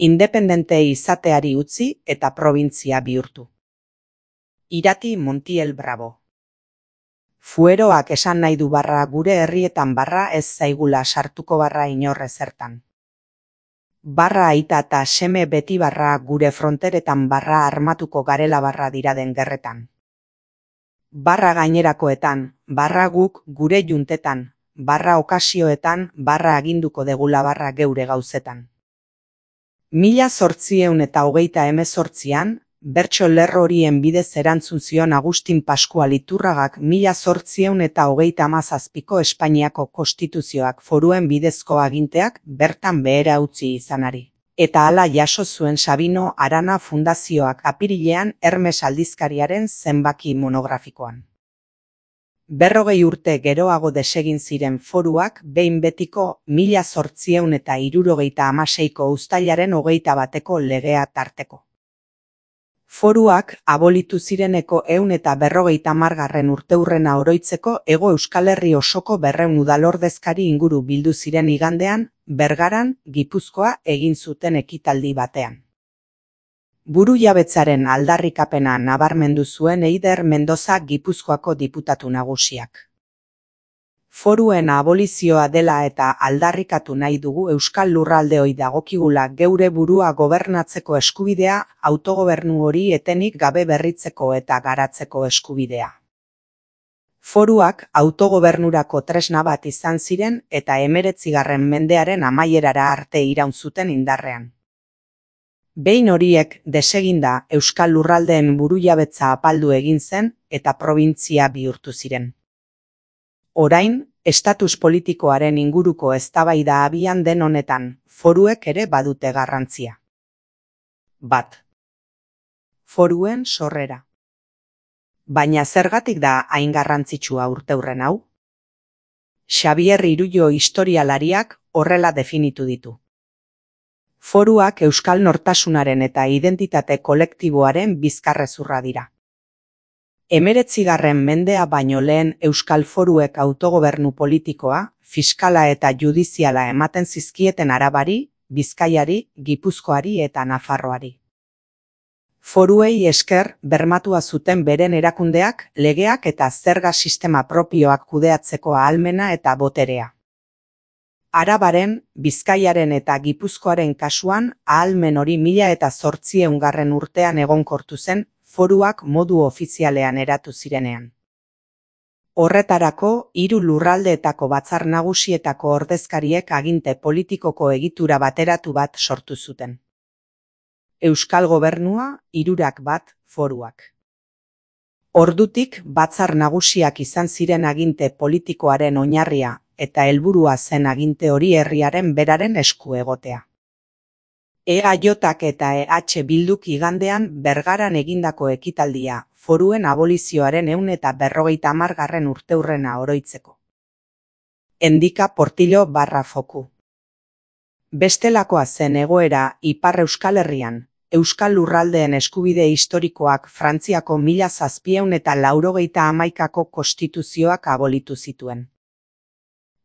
independente izateari utzi eta probintzia bihurtu. Irati Montiel Bravo. Fueroak esan nahi du barra gure herrietan barra ez zaigula sartuko barra inor ezertan. Barra aita eta seme beti barra gure fronteretan barra armatuko garela barra diraden gerretan. Barra gainerakoetan, barra guk gure juntetan, barra okasioetan, barra aginduko degula barra geure gauzetan. 1828an, bertso lerro horien bidez erantzun zion Agustin Paskual Iturragak 1837ko Espainiako konstituzioak foruen bidezko aginteak bertan behera utzi izanari. Eta hala jaso zuen Sabino Arana Fundazioak apirilean Hermes aldizkariaren zenbaki monografikoan. 40 urte geroago desegin ziren foruak behin betiko 1876ko uztailaren 21ko legea tarteko. Foruak abolitu zireneko 150. urteurrena oroitzeko Hego Euskal Herri osoko 200 udalordezkari inguru bildu ziren igandean, Bergaran, Gipuzkoa egin zuten ekitaldi batean. Burujabetzaren aldarrikapena nabarmendu zuen Eider Mendoza Gipuzkoako diputatu nagusiak. Foruen abolizioa dela eta aldarrikatu nahi dugu Euskal Lurraldeoi dagokigula geure burua gobernatzeko eskubidea, autogobernu hori etenik gabe berritzeko eta garatzeko eskubidea. Foruak autogobernurako tresna bat izan ziren eta 19. mendearen amaierara arte iraun zuten indarrean. Behin horiek deseginda Euskal Lurraldeen burujabetza apaldu egin zen eta probintzia bihurtu ziren. Orain, estatus politikoaren inguruko eztabaida abian den honetan, foruek ere badute garrantzia. 1. Foruen sorrera. Baina zergatik da hain garrantzitsua urteurren hau? Xabier Irullo historialariak horrela definitu ditu. Foruak euskal nortasunaren eta identitate kolektiboaren bizkarrezurra dira. 19. mendea baino lehen euskal foruek autogobernu politikoa, fiskala eta judiziala ematen zizkieten Arabari, Bizkaiari, Gipuzkoari eta Nafarroari. Foruei esker bermatua zuten beren erakundeak, legeak eta zerga sistema propioak kudeatzeko ahalmena eta boterea. Arabaren, Bizkaiaren eta Gipuzkoaren kasuan ahalmen hori 1800 urtean egonkortu zen, foruak modu ofizialean eratu zirenean. Horretarako, 3 lurraldeetako batzar nagusietako ordezkariek aginte politikoko egitura bateratu bat sortu zuten. Euskal Gobernua, 3 bat, foruak. Ordutik batzar nagusiak izan ziren aginte politikoaren oinarria eta helburua zen aginte hori herriaren beraren esku egotea. EAJak eta EH Bilduk igandean Bergaran egindako ekitaldia, foruen abolizioaren 150. urteurrena oroitzeko. Endika Portillo barra foku. Bestelakoa zen egoera Ipar Euskal Herrian, Euskal Lurraldeen eskubide historikoak Frantziako 1791ko konstituzioak abolitu zituen.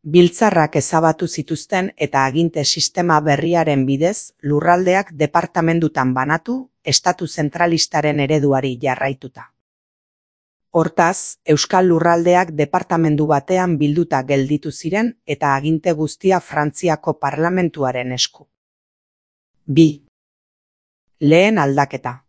Biltzarrak ezabatu zituzten eta aginte sistema berriaren bidez lurraldeak departamendutan banatu, estatu zentralistaren ereduari jarraituta. Hortaz, Euskal Lurraldeak departamendu batean bilduta gelditu ziren eta aginte guztia Frantziako parlamentuaren esku. 2. Lehen aldaketa.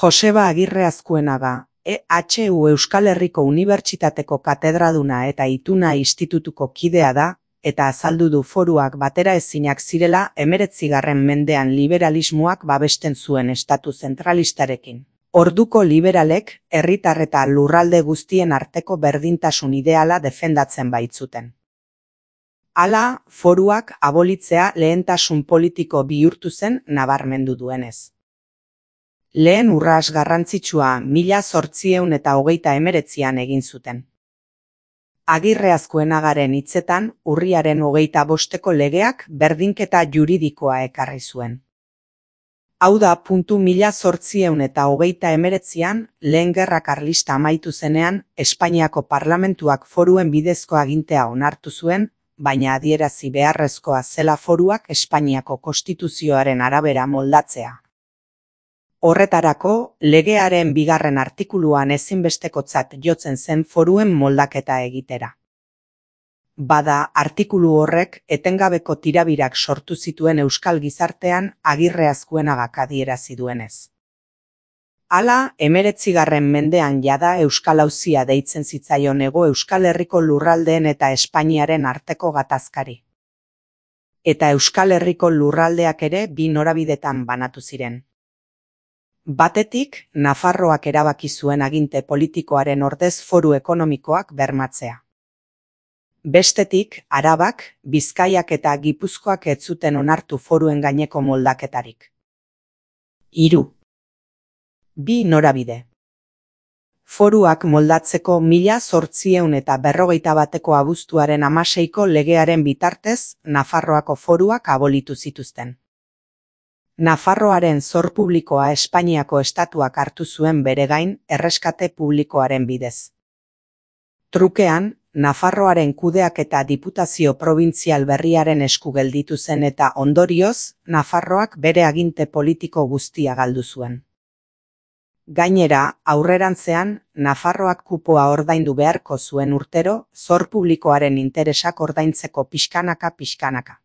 Joseba Agirre Azkuenaga, EHU Euskal Herriko Unibertsitateko katedraduna eta Ituna Institutuko kidea da, eta azaldu du foruak bateraezinak zirela 19. mendean liberalismoak babesten zuen estatu zentralistarekin. Orduko liberalek, herritar eta lurralde guztien arteko berdintasun ideala defendatzen baitzuten. Hala, foruak abolitzea lehentasun politiko bihurtu zen nabarmendu duenez. Lehen urras garrantzitsua 1829an egin zuten. Agirre Azkuenagaren hitzetan, urriaren 25ko legeak berdinketa juridikoa ekarri zuen. Hau da, 1829an, lehen gerra karlista amaitu zenean, Espainiako parlamentuak foruen bidezko agintea onartu zuen, baina adierazi beharrezkoa zela foruak Espainiako konstituzioaren arabera moldatzea. Horretarako, legearen 2. artikuluan ezinbestekotzat jotzen zen foruen moldaketa egitera. Bada, artikulu horrek etengabeko tirabirak sortu zituen euskal gizartean Agirre Azkuenagak adierazi duenez. Hala, 19. mendean jada Euskal Auzia deitzen zitzaion Hego Euskal Herriko lurraldeen eta Espainiaren arteko gatazkari. Eta Euskal Herriko lurraldeak ere 2 norabidetan banatu ziren. Batetik, Nafarroak erabaki zuen aginte politikoaren ordez foru ekonomikoak bermatzea. Bestetik, Arabak, Bizkaiak eta Gipuzkoak ez zuten onartu foruen gaineko moldaketarik. 3. 2 norabide. Foruak moldatzeko 1851 abuztuaren 16ko legearen bitartez, Nafarroako foruak abolitu zituzten. Nafarroaren zor publikoa Espainiako estatuak hartu zuen bere gain erreskate publikoaren bidez. Trukean, Nafarroaren kudeaketa diputazio probintzial berriaren esku gelditu zen eta ondorioz, Nafarroak bere aginte politiko guztia galdu zuen. Gainera, aurrerantzean, Nafarroak kupoa ordaindu beharko zuen urtero, zor publikoaren interesak ordaintzeko pixkanaka.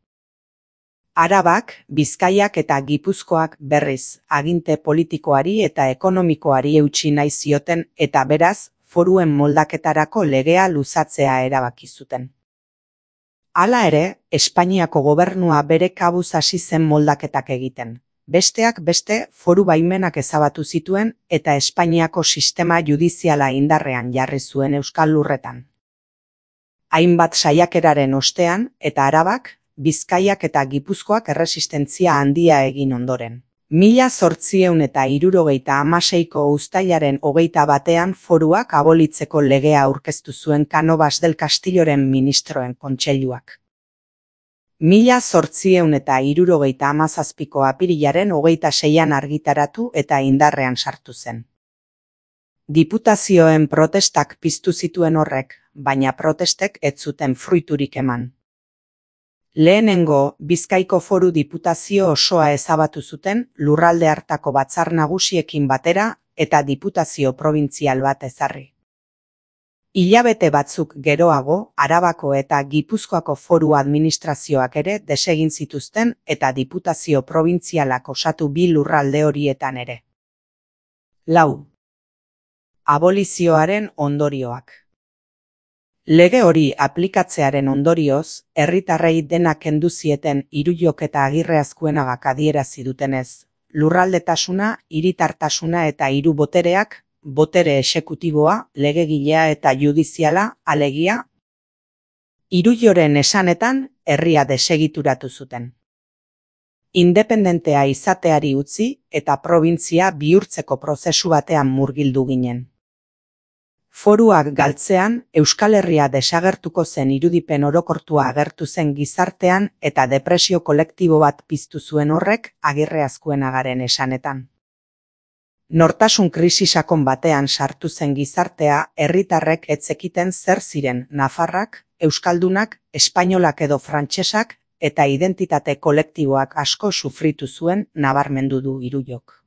Arabak, Bizkaiak eta Gipuzkoak berriz, aginte politikoari eta ekonomikoari eutsi nahi zioten eta beraz, foruen moldaketarako legea luzatzea erabaki zuten. Hala ere, Espainiako gobernua bere kabuz hasi zen moldaketak egiten. Besteak beste, foru baimenak ezabatu zituen eta Espainiako sistema judiziala indarrean jarri zuen Euskal Lurretan. Hainbat saiakeraren ostean eta Arabak, Bizkaiak eta Gipuzkoak erresistentzia handia egin ondoren. 1876ko uztailaren 21 foruak abolitzeko legea aurkeztu zuen Cánovas del Castilloren ministroen kontseiluak. 1877ko apirilaren 26an argitaratu eta indarrean sartu zen. Diputazioen protestak piztu zituen horrek, baina protestek ez zuten fruiturik eman. Lehenengo, Bizkaiko foru diputazio osoa ezabatu zuten lurralde hartako batzar nagusiekin batera eta diputazio probintzial bat ezarri. Hilabete batzuk geroago, Arabako eta Gipuzkoako foru administrazioak ere desegin zituzten eta diputazio probintzialak osatu 2 lurralde horietan ere. 4. Abolizioaren ondorioak. Lege hori aplikatzearen ondorioz, herritarrei denak kendu zieten Iruyok eta Agirre Azkuenagak adierazi dutenez, lurraldetasuna, hiritartasuna eta 3 botereak, botere exekutiboa, legegilea eta judiziala, alegia, Iruyoren esanetan, herria desegituratu zuten. Independentea izateari utzi eta probintzia bihurtzeko prozesu batean murgildu ginen. Foruak galtzean, Euskal Herria desagertuko zen irudipen orokortua agertu zen gizartean eta depresio kolektibo bat piztu zuen horrek Agirre Azkuenagaren esanetan. Nortasun krisi sakon batean sartu zen gizartea herritarrek ez zekiten zer ziren nafarrak, euskaldunak, espainolak edo frantsesak eta identitate kolektiboak asko sufritu zuen nabarmendu du Iruyok.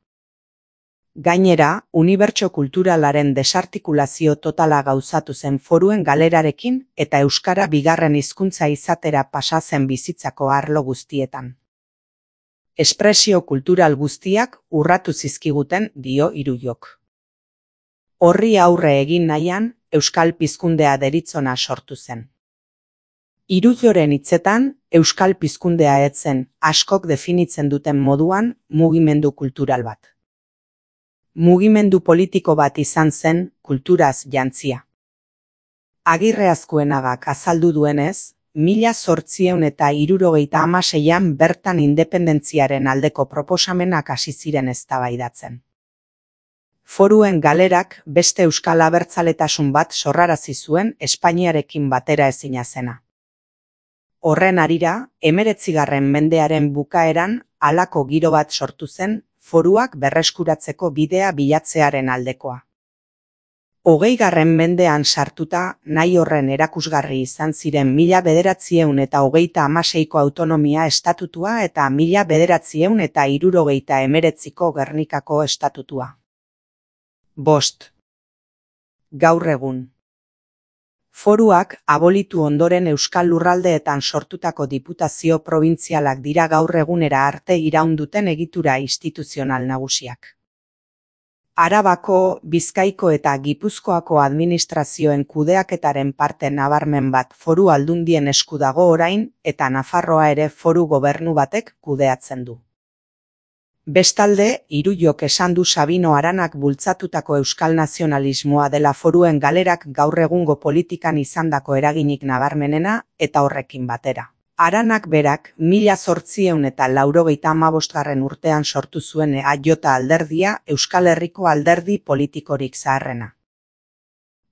Gainera, unibertso kulturalaren desartikulazio totala gauzatu zen foruen galerarekin eta euskara 2. hizkuntza izatera pasa zen bizitzako arlo guztietan. Espresio kultural guztiak urratu zizkiguten dio Iruyok. Horri aurre egin nahian, euskal pizkundea deritzona sortu zen. Iruyoren hitzetan, euskal pizkundea ez zen, askok definitzen duten moduan, mugimendu kultural bat. Mugimendu politiko bat izan zen, kulturaz jantzia. Agirre Azkuenagak azaldu duenez, 1876an bertan independentziaren aldeko proposamenak hasi ziren eztabaidatzen. Foruen galerak beste euskal abertzaletasun bat sorrarazi zuen Espainiarekin batera ezina zena. Horren harira, 19. mendearen bukaeran halako giro bat sortu zen, foruak berreskuratzeko bidea bilatzearen aldekoa. 20. mendean sartuta, nahi horren erakusgarri izan ziren 1936ko autonomia estatutua eta 1979ko Gernikako estatutua. 5. Gaur egun. Foruak abolitu ondoren Euskal Lurraldeetan sortutako diputazio probintzialak dira gaur egunera arte iraun duten egitura instituzional nagusiak. Arabako, Bizkaiko eta Gipuzkoako administrazioen kudeaketaren parte nabarmen bat Foru Aldundien esku dago orain eta Nafarroa ere foru gobernu batek kudeatzen du. Bestalde, Iruyok esan du Sabino Aranak bultzatutako euskal nazionalismoa dela foruen galerak gaur egungo politikan izandako eraginik nabarmenena eta horrekin batera. Aranak berak 1885 urtean sortu zuen EAJ alderdia Euskal Herriko alderdi politikorik zaharrena.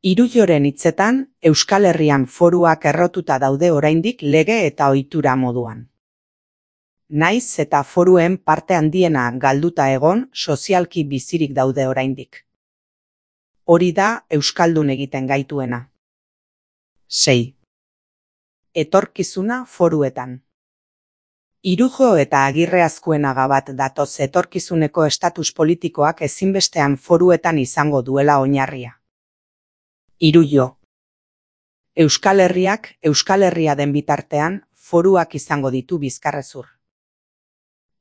Iruyoren hitzetan, Euskal Herrian foruak errotuta daude oraindik lege eta ohitura moduan. Naiz eta foruen parte handiena galduta egon, sozialki bizirik daude oraindik. Hori da euskaldun egiten gaituena. 6. Etorkizuna foruetan. Irujo eta Agirre Azkuenaga bat datoz etorkizuneko estatus politikoak ezinbestean foruetan izango duela oinarria. Irujo. Euskal Herriak Euskal Herria den bitartean, foruak izango ditu bizkarrezur.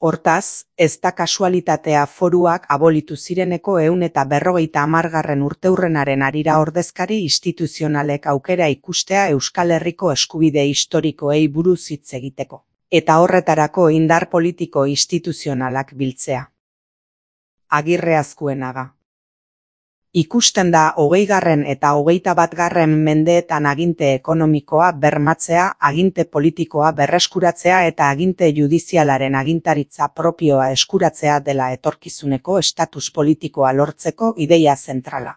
Hortaz, ez da kasualitatea foruak abolitu zireneko 150. urteurrenaren harira ordezkari instituzionalek aukera ikustea Euskal Herriko eskubide historikoei buruz hitz egiteko, eta horretarako indar politiko instituzionalak biltzea. Agirre Azkuenaga. Ikusten da 20. eta 21. mendeetan aginte ekonomikoa bermatzea, aginte politikoa berreskuratzea eta aginte judizialaren agintaritza propioa eskuratzea dela etorkizuneko estatus politikoa lortzeko ideia zentrala.